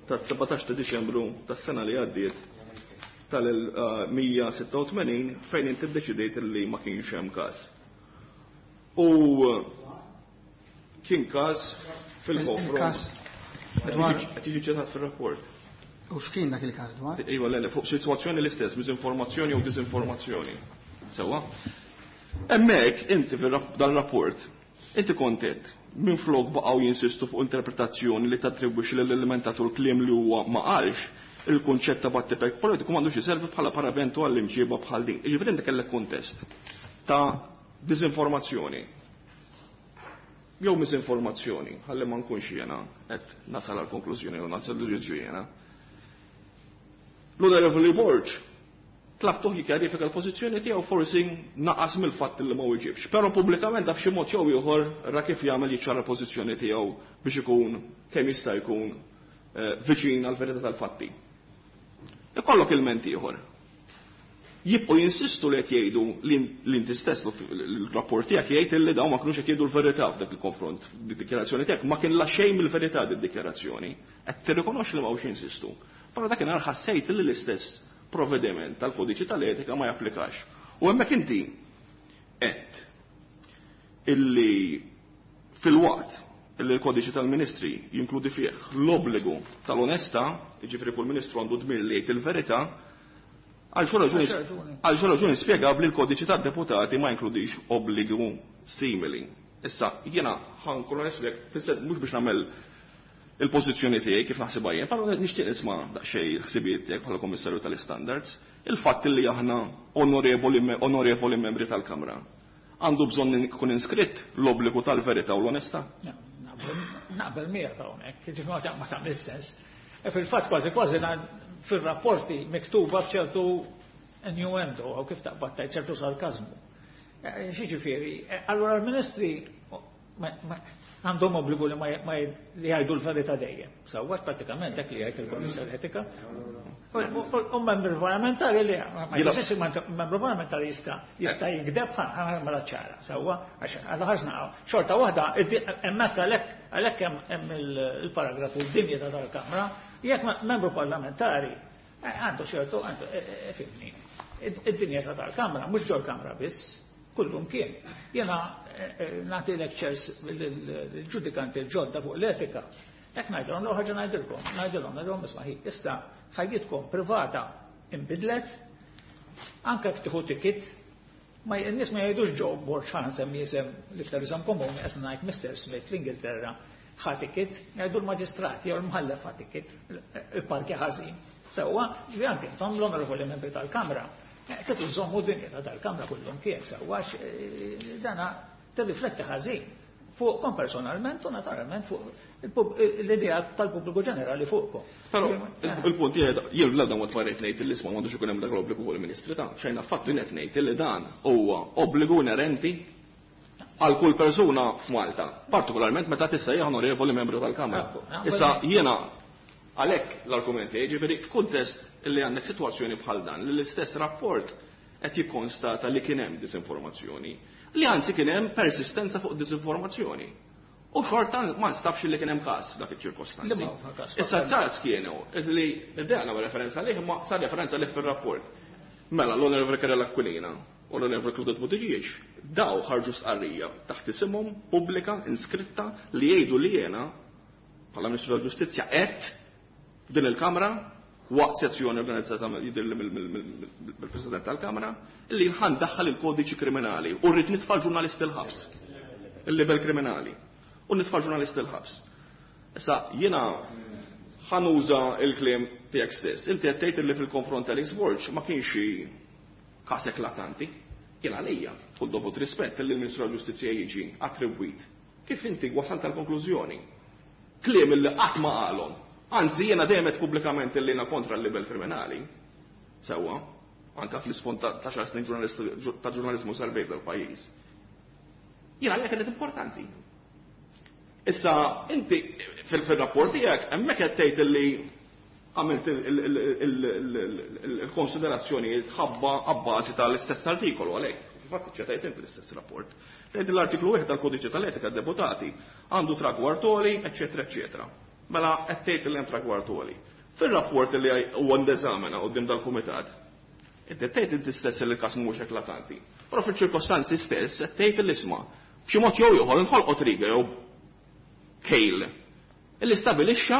tas-17 ta' Diċembru tas-sena li għaddiet tal-186 fejn inti ddeċidejt li ma kienx hemm każ. U kien każ fil-konfront. Qed jiġi ċitat fir-rapport. U x'kien dak il-każ dwar? Iva, le, fuq sitwazzjoni l-istess, miżinformazzjoni u diżinformazzjoni. Sewwa? Hemmhekk inti dan rapport inti kontent minflok baqgħu jinsistu fuq interpretazzjoni li tattribwixxi lill-elementatur kliem li huwa ma qalx, il-kunċett ta' battipek politiku m'għandux iservi bħala paraventu għall-imġiba bħal din. Jiġifieri inti kellek kuntest ta' diżinformazzjoni jew miżinformazzjoni, ħalli ma nkunx jiena qed nasal għal konklużjoni jew nasal l-ġudizzju jiena. L-Onorevoli Borg tlabtuh jikkjarifika l-pożizzjoni tiegħu forsi naqas mill-fatt li ma wieġibx. Però pubblikament b'xi mod jew ieħor ra kif jagħmel jiċċara l-pożizzjoni tiegħu biex ikun kemm jista' jkun viċin għall-verità tal-fatti. Ikollok ilment ieħor. Jibqgħu jinsistu li qed jgħidu li inti stess l-rapport tiegħek jgħid li dawn ma kinux qed jgħidu l-verità f'dak il-konfront. Id-dikjarazzjoni tiegħek ma kien la xejn mill-verità id-dikjarazzjoni. Qed tirrikonoxxi li m'hawnx jinsistu. Però dakinhar ħassejt li l-istess provvediment tal-kodiċi tal-etika ma japplikax. U hemmhekk inti qed illi fil-waqt illi l-kodiċi tal-ministri jinkludi fih l-obbligu tal-onestà, jiġifieri kull ministru għandu dmir li jgħid il-verità, għal xi raġuni spjegabbli l-kodiċi tad-deputati ma jinkludix obbligu simili. Issa jiena ħankun onest fis-sens mhux biex nagħmel il-pożizzjoni tiegħi kif naħsibha jien, però nixtieq nisma' daqsxejn ħsibijiet tiegħek bħala Kummissarju tal-Istandards, il-fatt li aħna onorevoli membri tal-Kamra. Għandu bżonn ikun inskritt l-obbligu tal-verità u l-onestà? Naqbel miegħek hawnhekk, jiġifieri ma tagħmel sens. E fil-fatt kważi kważi fir-rapporti miktuba b'ċertu innuendo jew kif taqbad tgħid ċertu sarkażmu. Xiġifieri, allura l-ministri għandhom obbligu li ma li jgħidu l-verità dejjem. Sewwa pratikament dak li jgħid il-Kodiċi tal-Etika. U membru parlamentari li ma jistgħux membru parlamentari jista' jikdeb mela ċara. Sewwa għax għal ħarsna xorta waħda hemmhekk għalhekk hemm il-paragrafu d-dinjità tal-Kamra, jekk membru parlamentari għandu ċertu għandu fimni. Id-dinjità tal-Kamra mhux ġol-Kamra biss, kullum kien. Jena nagħti lectures l-ġudikanti l-ġodda fuq l-etika. Hekk ngħidilhom l ħaġa ngħidilkom, ngħidilhom, ngħidilhom isma' hi, issa ħajjitkom privata inbidlet, anke jekk tieħu ticket, ma n-nies ma jgħidux Joe Borg ħa nsemmi isem l-iktar isem komuni, qed ngħid Mr. Smith l-Ingilterra ħa ticket, jgħidu l-maġistrat jew l-mħallef ħa ticket, il-parki ħażin. Sewwa, ġifieri anke intom l-onorevoli membri tal-Kamra, Titu żommu dinjità tal-Kamra kullum kien sewwa dana tirrifletti ħażin fuqkom personalment u naturalment fuq l-idea tal-pubbliku ġenerali fuqkom. Però il-punt jgħid jien l dan ma rrid ngħid li isma' m'għandux ikun hemm dak l-obbligu fuq il-Ministri ta' xejn affattu jien qed ngħid li dan huwa obbligu inerenti għal kull persuna f'Malta, partikolarment meta tissejjaħ onorevoli membru tal-Kamra. Issa jiena għalhekk l-argument tiegħi, jiġifieri f'kuntest li għandek sitwazzjoni bħal dan li l-istess rapport qed jikkonstata li kien hemm disinformazzjoni, li anzi kien hemm persistenza fuq disinformazzjoni. U xorta ma nstabx li kien hemm każ f'dak iċ-ċirkostanzi. Issa każ kienu li d-dea nagħmel referenza għalih imma sar referenza għalih fir-rapport. Mela l-Onorevoli Karel Aquilina. Onorevoli Claudette Buttigieg, daw ħarġu stqarrija taħt isimhom pubblika inskritta li jgħidu li jiena bħala Ministru tal-Ġustizzja qed f'din il-Kamra waqt sezzjoni organizzata jidhirli mill-President tal-Kamra li ħa ndaħħal il-kodiċi kriminali u rrid nitfa' ġurnalisti l-ħabs. Il-libel kriminali. U nitfa' ġurnalisti l-ħabs. Issa jiena ħa nuża il-kliem tiegħek stess. Inti qed tgħid li fil-konfront Alex Borg ma kienx xi każ eklatanti. Jien għalija, kull dovut rispett li l-Ministru tal-Ġustizzja jiġi attribwit. Kif inti wasalt tal-konklużjoni? Kliem li qatt ma qalhom. Anzi, jiena dejjem qed pubblikament li jiena kontra l-libel kriminali. Sewwa, anka fl-isfond ta' xar snin ta' ġurnaliżmu sarbejt dal-pajjiż. Jiena għalija kienet importanti. Issa, inti fil-rapport tiegħek hemmhekk qed tgħid li għamilt il-konsiderazzjoni ħabba abbażi tal-istess artikolu għalhekk. Fil-fatt ċetajt inti l-istess rapport. Tgħid l-artiklu 1 tal-Kodiċi tal-Etika deputati għandu tragwardoli, eċetera, eċetera. Mela qed tgħid li hemm tragwardoli. Fil-rapport li huwa ndeżamina quddiem dal-kumitat, inti tgħid inti stess li l-każ mhux eklatanti. Però fil-ċirkostanzi stess qed tgħid l-isma' b'xi mod jew ieħor inħolqot riga jew kejl illi stabilixxa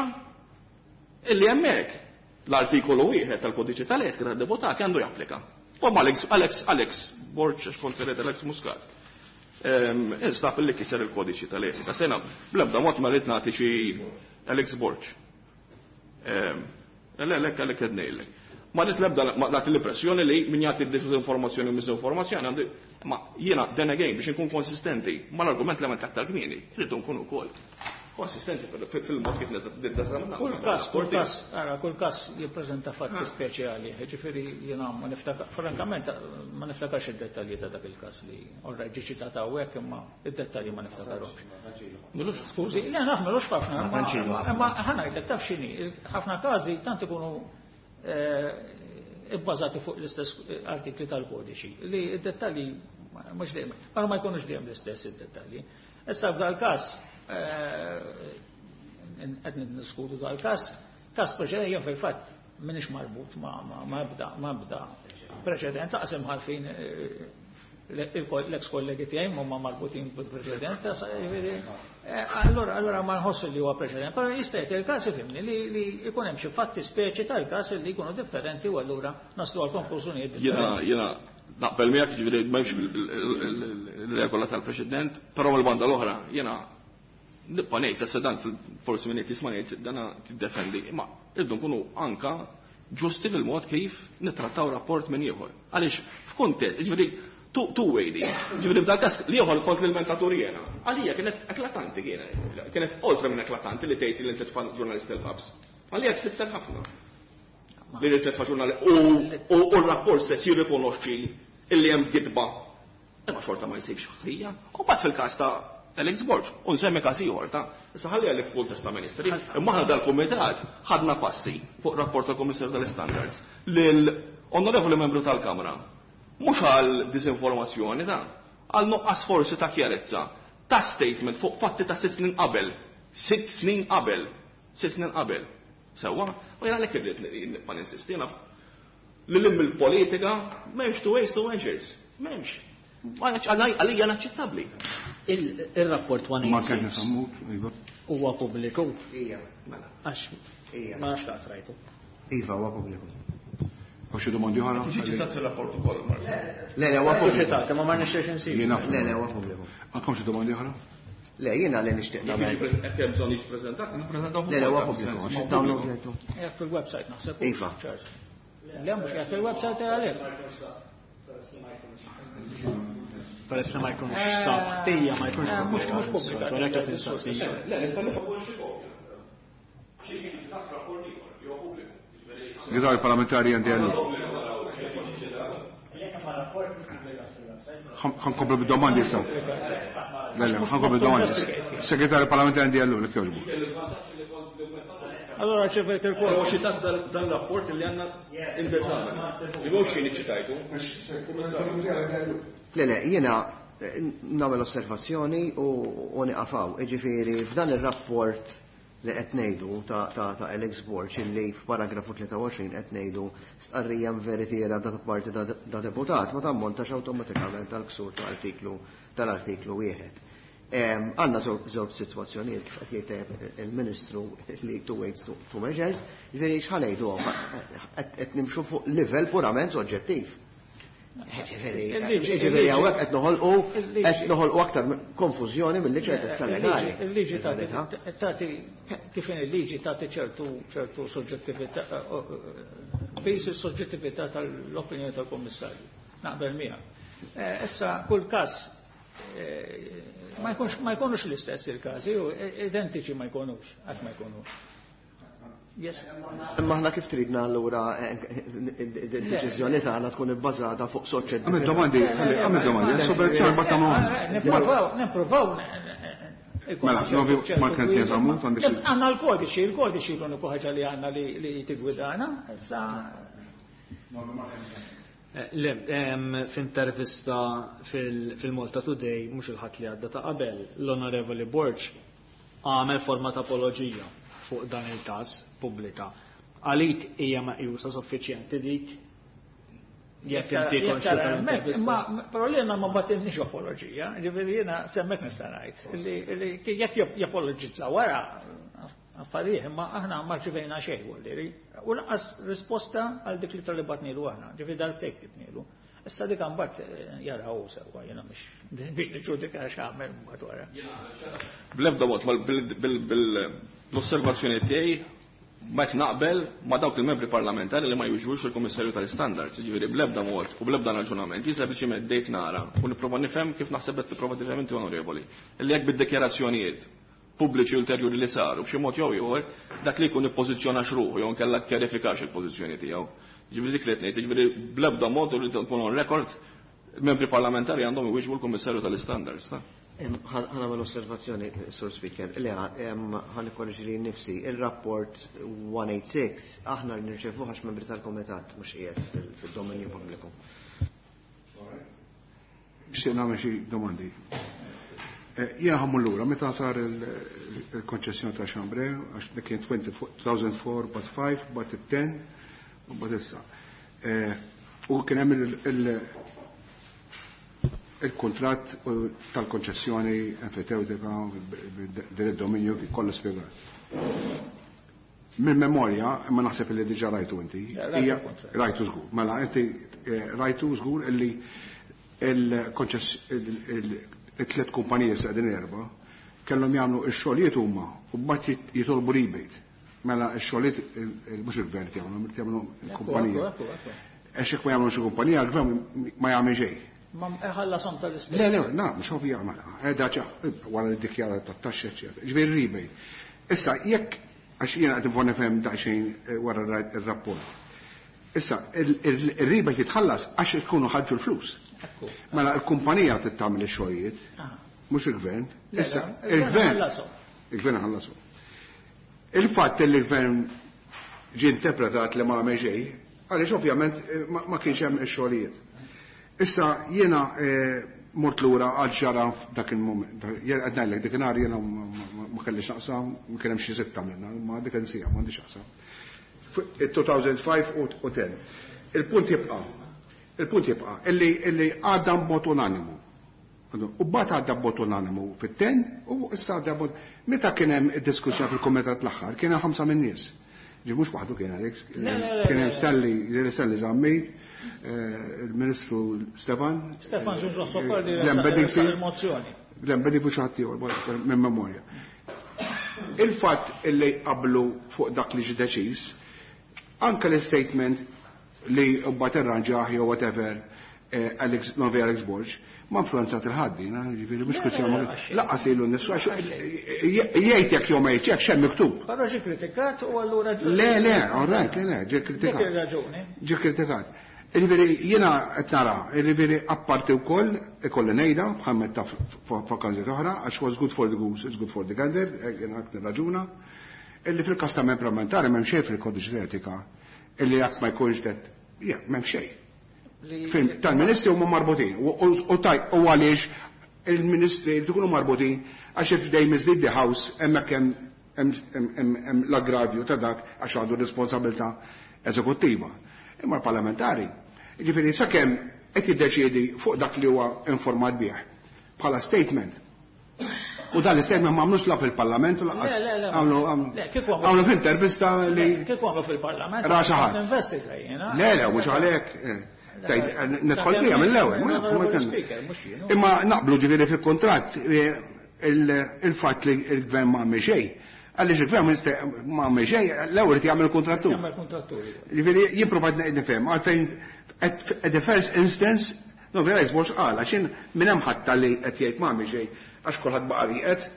illi hemmhekk l-artikolu 1 tal-Kodiċi tal-Etika tad-Deputati għandu japplika. U Alex, Alex, Alex, Borg, għax kont Alex Muscat. Instab illi kiser il-kodiċi tal-etika. Sena, bl-ebda mod ma rrid nagħti xi Alex Borg. Le, le, għalek qed ngħidlek. Ma rrid l-ebda nagħti l-impressjoni li min jagħti disinformazzjoni u misinformazzjoni għandu, ma jiena then again biex inkun konsistenti mal-argument li għamilt aktar kmieni, rridu nkunu wkoll konsistenti fil-mod kif niddeżaminaw. Kull każ, kull każ, ara, kull każ jippreżenta fatti speċjali, ġifieri jiena ma niftakar, frankament ma niftakarx id-dettalji ta' dak il-każ li orra ġie ċitat hawnhekk imma id-dettalji ma niftakarhomx. Milux, skużi, le naf milux ħafna, imma ħa ngħidlek taf x'inhi, ħafna każi tant ikunu ibbażati fuq l-istess artikli tal-kodiċi li id-dettalji mhux dejjem, però ma jkunux dejjem l-istess id-dettalji. Issa f'dal każ qed niddiskutu dal-każ, każ preċedenti jien fil-fatt m'iniex marbut ma' ebda preċedent, laqas imħalfin l-ex kollegi tiegħi huma marbutin bil-preċedent, allora ma nħoss li huwa preċedent, però jista' jgħid il-każ ifhimni li jkun hemm xi fatti speċi tal-każ li jkunu differenti u allura naslu għal konklużjonijiet differenti. Jiena naqbel miegħek, ġifieri m'hemmx il-regola tal-preċedent, però mill-banda l-oħra jiena nibqa' ngħid issa dan forsi min qed jisma' ngħid dana tiddefendi, imma irdu nkunu anka ġusti fil-mod kif nittrattaw rapport minn ieħor. Għaliex f'kuntest, ġifieri two way di. Ġifieri f'dal każ li ieħor kont l-ilmentatur jiena. Għalija kienet eklatanti kienet oltre minn eklatanti li tgħid li inti tfa' ġurnalist il-ħabs. Għalija tfisser ħafna. Li inti tfa' ġurnalist u r-rapport stess jirrikonoxxi illi hemm gidba. Imma xorta ma jsibx ħtija. U mbagħad fil-każ ta' Alex Borg, u nsemmi każ ieħor ta' issa ħalli għalli f'kuntest ta' ministri, imma aħna dal-kumitat ħadna passi fuq rapport tal-Kummissarju tal-Standards lil onorevoli membru tal-Kamra. Mhux għal disinformazzjoni ta' għal nuqqas forsi ta' kjarezza ta' statement fuq fatti ta' 6 snin qabel, 6 snin qabel, 6 snin qabel. Sewwa, u jiena għalhekk irrid nibqa' ninsisti, jiena li lim il-politika m'hemmx two ways to measures, m'hemmx. Għalija naċċettabbli. Il-rapport one Ma eight kienx six nisammut, Iva. Huwa pubbliku. Ija, mela. Għax Ija. ma nafx laqt rajtu. Iva, huwa pubbliku. U xi domandi oħra? Tiġi ċitat fil-rapport ukoll, Mark. Le, le, huwa Tiġi pubbliku. ċitat, imma ma nixtiex insib. Jiena. Le, le, huwa pubbliku. Għandkom xi domandi oħra? Le, jiena li nixtieq Jekk nagħmel. jiġi jekk hemm bżonn jiġi preżentat, nippreżentaw Le, le, huwa ukoll, pubbliku, sens, għax ma id-download pubbliku. lejtu. Jekk fil-website naħseb. Iva. Charles. Le, mhux jekk fil-website għalhekk. Peress li ma jkunx sab ħtija, ma jkunx Mhux pubblikat. Għalhekk qed insaqsi. Le, nista' nifhem xi kopja. Xi jiġi ċitat rapport ieħor, jew pubbliku. Segretarju parlamentari għandi għallu. Ħankomplu bid-domandi issa. Le, le, ħankomplu bid-domandi. Segretarju parlamentari għandi għallu, lek jogħġbu. Allora ċevejt il-kwot. Huwa ċitat dan rapport li għandna indeżame. Li mhux jien iċċitajtu. Le, le, jiena nagħmel osservazzjoni u niqafaw. Jiġifieri f'dan ir-rapport li qed ngħidu ta' Alex Borg illi f'paragrafu 23 qed ngħidu stqarrija veritiera da parti da deputat ma tammontax awtomatikament tal-ksur tal-artiklu 1. Għandna żewġ sitwazzjonijiet kif qed jgħid il-Ministru li two weights two measures, ġifieri x'ħa ngħidu qed nimxu fuq livell purament soġġettiv. Ġifieri hawnhekk qed noħolqu aktar konfużjoni milli ċertezza legali. Il-liġi tagħti kif il-liġi tagħti ċertu soġġettività, bejs is-soġġettività tal-opinjoni tal-Kummissarju. Naqbel miegħek. Issa kull każ ma jkunux l-istess il-każi, identiċi ma jkunux, qatt ma jkunux. Imma aħna kif tridna allura id-deċiżjoni tagħna tkun ibbażata fuq soċjetà. Għamil domandi, għamil domandi, Nippruvaw. Mela, novi ma kien teżamu għandek. Għandna l-kodiċi, il-kodiċi l-uniku ħaġa li għandna li tigwidana, issa. Le, f'intervista fil-Malta Today, mhux il-ħadd li għadda ta' qabel, l-Onorevoli Borg għamel forma ta' apoloġija fuq dan il-każ pubblika. Għalik hija meqjusa suffiċjenti dik jekk inti konxju tal-intervista. Imma però jiena ma batilniex apoloġija, ġifieri jiena semmek nista' ngħid li jekk japoloġizza wara affarijiet, imma aħna ma rċivejna xejn vuol U lanqas risposta għal dik li tal-li batnilu aħna, ġifieri darbtejn kitnilu. Issa dik mbagħad jaraw sewwa jiena mhux biex niġġudika x'għamel mbagħad wara. Bl-ebda mod bil-osservazzjoni tiegħi ma qed naqbel ma' dawk il-membri parlamentari li ma jwiġbux il-Kummissarju tal-Istandards, jiġifieri bl-ebda mod u bl-ebda raġunament, jien sempliċiment dejt nara u nipprova nifhem kif naħseb qed tipprova tifhem inti onorevoli. Illi jekk bid-dikjarazzjonijiet pubbliċi ulterjuri li saru b'xi mod jew ieħor dak li jkun ippożizzjonax ruħu jew inkella kkjarifikax il-pożizzjoni tiegħu. Ġifieri dik li qed ngħid, jiġifieri bl-ebda mod u li tkun on record membri parlamentari għandhom iwieġbu l-Kummissarju tal-Istandards. Ħa nagħmel osservazzjoni, Sur Speaker. Le, ħa nikkorreġi li nnifsi. Il-rapport 186 aħna nirċevuh għax membri tal-Komitat mhux qiegħed fid-dominju pubbliku. Nixtieq nagħmel xi domandi. Jiena ħammur lura meta sar il-konċessjoni ta' Chambray, għax dik kien 2004, but 5, but 10, u but issa. U kien hemm il-kuntratt tal-konċessjoni enfitewtika din id-dominju kollu spjegat. Minn memorja, imma naħseb li diġà rajtu inti. Rajtu żgur. Mela inti rajtu żgur illi il-tliet kumpaniji sa qegħdin erba' kellhom jagħmlu x-xogħlijiet huma u mbagħad jitolbu rebate. Mela x-xogħlijiet mhux il-gvern jagħmlu, jagħmlu l-kumpanija. Għax jekk ma jagħmlu xi kumpanija, l-gvern ma jagħmel xejn. Ma ħallasom tal-ispejjeż. Le, le, na, mhux ovvja mela. Qiegħda wara li ddikjara tat-taxxa, eċċetera. Ġifieri rebate. Issa jekk għax jiena qed nifhem nifhem daqsxejn wara r-rapport. Issa, il-rebate jitħallas għax ikunu ħarġu l-flus. Mela l-kumpanija trid tagħmel ix-xogħlijiet, mhux il-gvern. Issa, il-gvern il-gvern ħallasu. Il-fatt li l-gvern ġie interpretat li ma għamel xejn, għaliex ovvjament ma kienx hemm ix-xogħlijiet. Issa jiena mort lura għal ġara f'dak il-moment. Jien qed ngħidlek dik inhar jiena ma kellix naqsam, ma kien hemm xi sitta minna, ma dik insija m'għandix naqsam. 2005 u 10. Il-punt jibqa'. Il-punt jibqa' illi għadda b'mod unanimu. U mbagħad għadda b'mod unanimu fit-10 u issa għadda b'mod. Meta kien hemm id-diskussjoni fil-kumitat l-aħħar kien hemm 5 minn nies. Ġi mhux waħdu kien Alex, kien hemm Stanley, Stanley Zammit, il-Ministru Stefan. Stefan Zunzun Soppardi Glenn Bedingfield. il-mozzjoni. Glenn Bedingfield xi ħadd ieħor minn memorja. Il-fatt illi qablu fuq dak li ġie deċiż, anke l-statement li mbagħad irranġah jew whatever, Alex, Novi Alex Borg, ma influenzat il-ħaddi, ġifieri mhux kwestjoni ma laqqas ilu nnifsu għax jgħid jekk jew ma jgħidx hekk x'hemm miktub. Però ġie kritikat u allura ġie Le, le, all right, le, le, ġie kritikat. Dik ir-raġuni. Ġie kritikat. Jiġifieri jiena qed nara, jiġifieri apparti wkoll ikolli ngħidha bħal meta f'okkażjoni oħra għax what's good for the goose is good for the gander, jiena qed nirraġuna, illi fil-każ ta' membri parlamentari m'hemm xejn fil-kodiċi etika illi jekk ma jkunx det, ja, m'hemm xejn. Film tal-ministri huma marbutin u għaliex il-ministri jkunu marbutin għax if they mislead the house hemmhekk hemm l-aggravju ta' dak għax għandu responsabilità eżekuttiva. Imma l-parlamentari, jiġifieri sakemm qed jiddeċiedi fuq dak li huwa informat bih bħala statement. U dan l-statement ma għamlux la fil-parlament u lanqas għamlu f'intervista li. Kieku għamlu fil-parlament. Ra xi ħadd. Investiga jiena. Le, le, mhux għalhekk. Nidħol fiha mill-ewwel. Imma naqblu ġifieri fil-kuntratt il-fatt li l-gvern ma għamel xejn. Għaliex il-gvern ma għamel xejn, l-ewwel irid jagħmel kontrattur. Jagħmel kontrattur. Ġifieri jien provajt nifhem għalfejn at the first instance, no vera jisbox qal, għax jien minn hemm ħadd li qed jgħid ma għamel xejn għax kulħadd baqa' rieqed.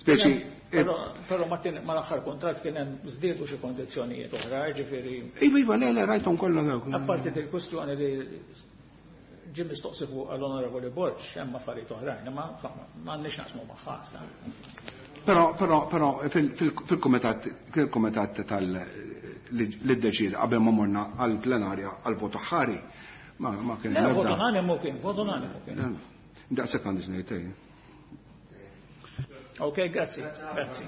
Speċi Però mal-aħħar kuntratt kien hemm żdiedu xi kondizzjonijiet oħra, ġifieri. Iva, iva, le, le, rajthom kollha dawk. Apparti dil kwistjoni li ġie mistoqsi fuq l-Onorevoli Borg, hemm affarijiet oħrajn, imma m'għandniex naqsmu magħha. Però, però, però fil-kumitat, fil-kumitat tal li ddeċieda qabel ma morna għall-plenarja għall-vot aħħari, ma kien Le, vot unanimu kien, vot unanimu kien. Daqshekk għandi ngħid. Ok, grazzi, grazzi.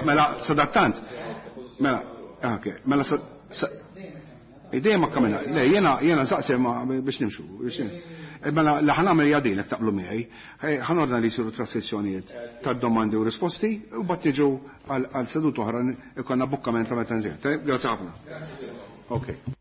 Mela, sadattant. Mela, ok, mela, dejjem ma kamina. Le, jena, jena nsaqsi ma biex nimxu. Mela, li ħa nagħmel hija din jekk taqblu miegħi. Ħa nordna li jsiru traskrizzjonijiet tad-domandi u risposti u mbagħad niġu għal seduta oħra ikollna bukkament ta' meta nżid. Grazzi ħafna. Ok.